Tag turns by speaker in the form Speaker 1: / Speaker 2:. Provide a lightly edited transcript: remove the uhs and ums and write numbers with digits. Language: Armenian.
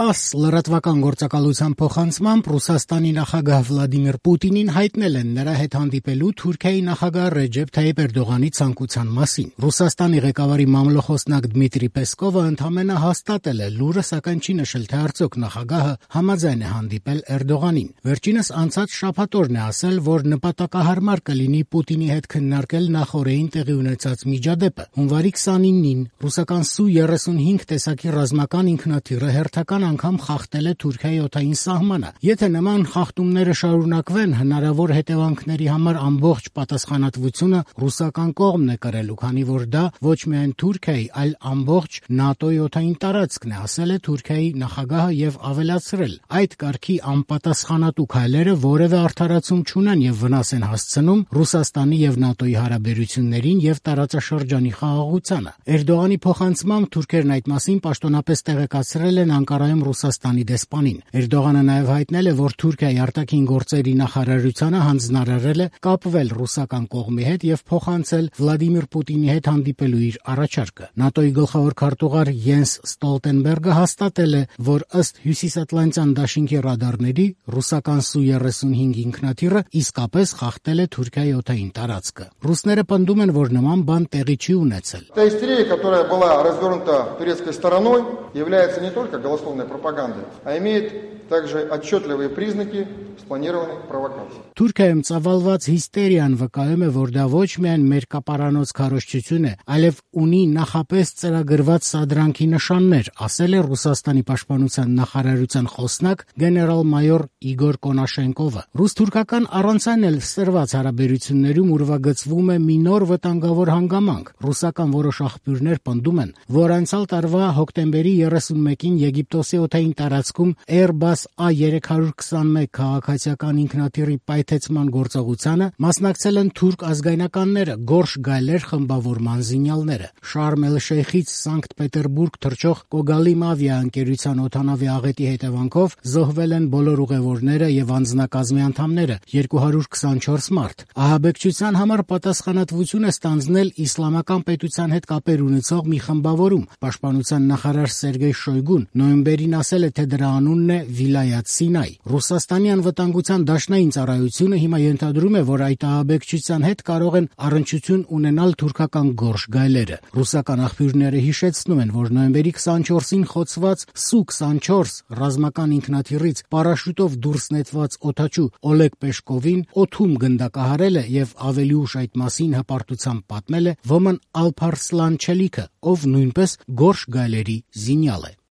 Speaker 1: 10 լրատվական գործակալության փոխանցմամբ Ռուսաստանի նախագահ Վլադիմիր Պուտինին հայտնել են նրա հետ հանդիպելու Թուրքիայի նախագահ Ռեջեփ Թայիպ Էրդողանի ցանկության մասին։ Ռուսաստանի ղեկավարի մամլոխոսնակ Դմիտրի Պեսկովը ընդամենը հաստատել է լուրը, սակայն չի նշել, թե արդյոք նախագահը համաձայն է հանդիպել Էրդողանին։ Վերջինս անցած շաբաթօրն է ասել, որ նպատակահարմար կլինի Պուտինի հետ քննարկել նախօրեին տեղի ունեցած միջադեպը։ Հունվարի 29-ին ռուսական Su-35 տեսակի ռազմական ինքնաթիռը հերթական անգամ խախտել է Թուրքիայի օդային սահմանը։ Եթե նման խախտումները շարունակվեն, հնարավոր հետևանքների համար ամբողջ պատասխանատվությունը ռուսական կողմն է կրելու, քանի որ դա ոչ միայն Թուրքիայի, այլ ամբողջ ՆԱՏՕ-ի օդային տարածքն է, ասել է Թուրքիայի նախագահը եւ ավելացրել. այդ կարգի անպատասխանատու քայլերը որևէ արդարացում չունեն եւ վնաս են հասցնում Ռուսաստանի եւ ՆԱՏՕ-ի հարաբերություններին եւ տարածաշրջանի խաղաղությանը։ Էրդողանի փոխանցմամբ թուրքերն այդ մասին պաշտոնապես տեղեկացրել են Անկարայում Ռուսաստանի դեսպանին։ Էրդողանը նաև հայտնել է, որ Թուրքիայի արտաքին գործերի նախարարությանը հանձնարարել է կապվել ռուսական կողմի հետ եւ փոխանցել Վլադիմիր Պուտինի հետ հանդիպելու իր առաջարկը։ ՆԱՏՕ-ի գլխավոր քարտուղար Յենս Ստոլտենբերգը հաստատել է, որ ըստ Հյուսիսատլանտյան դաշինքի ռադարների ռուսական Su-35 ինքնաթիռը իսկապես խախտել է Թուրքիայի օդային տարածքը։ Ռուսները պնդում են, որ нման бан տեղի չի ունեցել։
Speaker 2: Та истерия, которая была развернута турецкой стороной, является не только голословной пропагандой, а имеет также отчетливые признаки спланированной провокации.
Speaker 1: Թուրքիայում ծավալված հիստերիան վկայում է, որ դա ոչ միայն մերկապարանոց քարոզչություն է, այլև ունի նախապես ծրագրված սադրանքի նշաններ, ասել է Ռուսաստանի պաշտպանության նախարարության խոսնակ գեներալ-մայոր Իգոր Կոնաշենկովը։ Ռուս-թուրքական առանց այն էլ սրված հարաբերություններում ուրվագծվում է մի նոր վտանգավոր հանգամանք։ Ռուսական որոշ աղբյուրներ պնդում են, որ անցյալ տարվա հոկտեմբերի 31-ին Եգիպտոսի օդային տարածքում Airbus A321 քաղաքացիական ինքնաթիռի պայթեցման գործողությանը մասնակցել են թուրք ազգայնականները, Գորշ Գայլեր խմբավորման զինյալները։ Շարմ էլ-Շեյխից Սանկտ Պետերբուրգ թռչող Կոգալիմ ավիաընկերության օդանավի աղետի հետևանքով զոհվել են բոլոր ուղևորները եւ անձնակազմի անդամները, 224 մարդ։ Ահաբեկչության համար պատասխանատվություն է ստանձնել իսլամական պետության հետ կապեր ունեցող մի խմբավորում։ Պաշտպանության նախարար Սերգեյ Շոյգուն նոյեմբերին ասել է, թե դրա անունն է Վիլայաթ Սինայ։ Ռուսաստանի անվտանգության դաշնային ծառայությունը հիմա ենթադրում է, որ այդ ահաբեկչության հետ կարող են առնչություն ունենալ թուրքական Գորշ Գայլերը։ Ռուսական աղբյուրները հիշեցնում են, որ նոյեմբերի 24-ին խոցված Su-24 ռազմական ինքնաթիռից պարաշյուտով դուրս նետված օդաչու Օլեգ Պեշկովին օդում գնդակահարել է եւ ավելի ուշ այդ մասին հպարտությամբ պատմել է Ոմն Ալփարսլան Չելիքը, ով նույնպես Գորշ Գայլերի զինյալ է։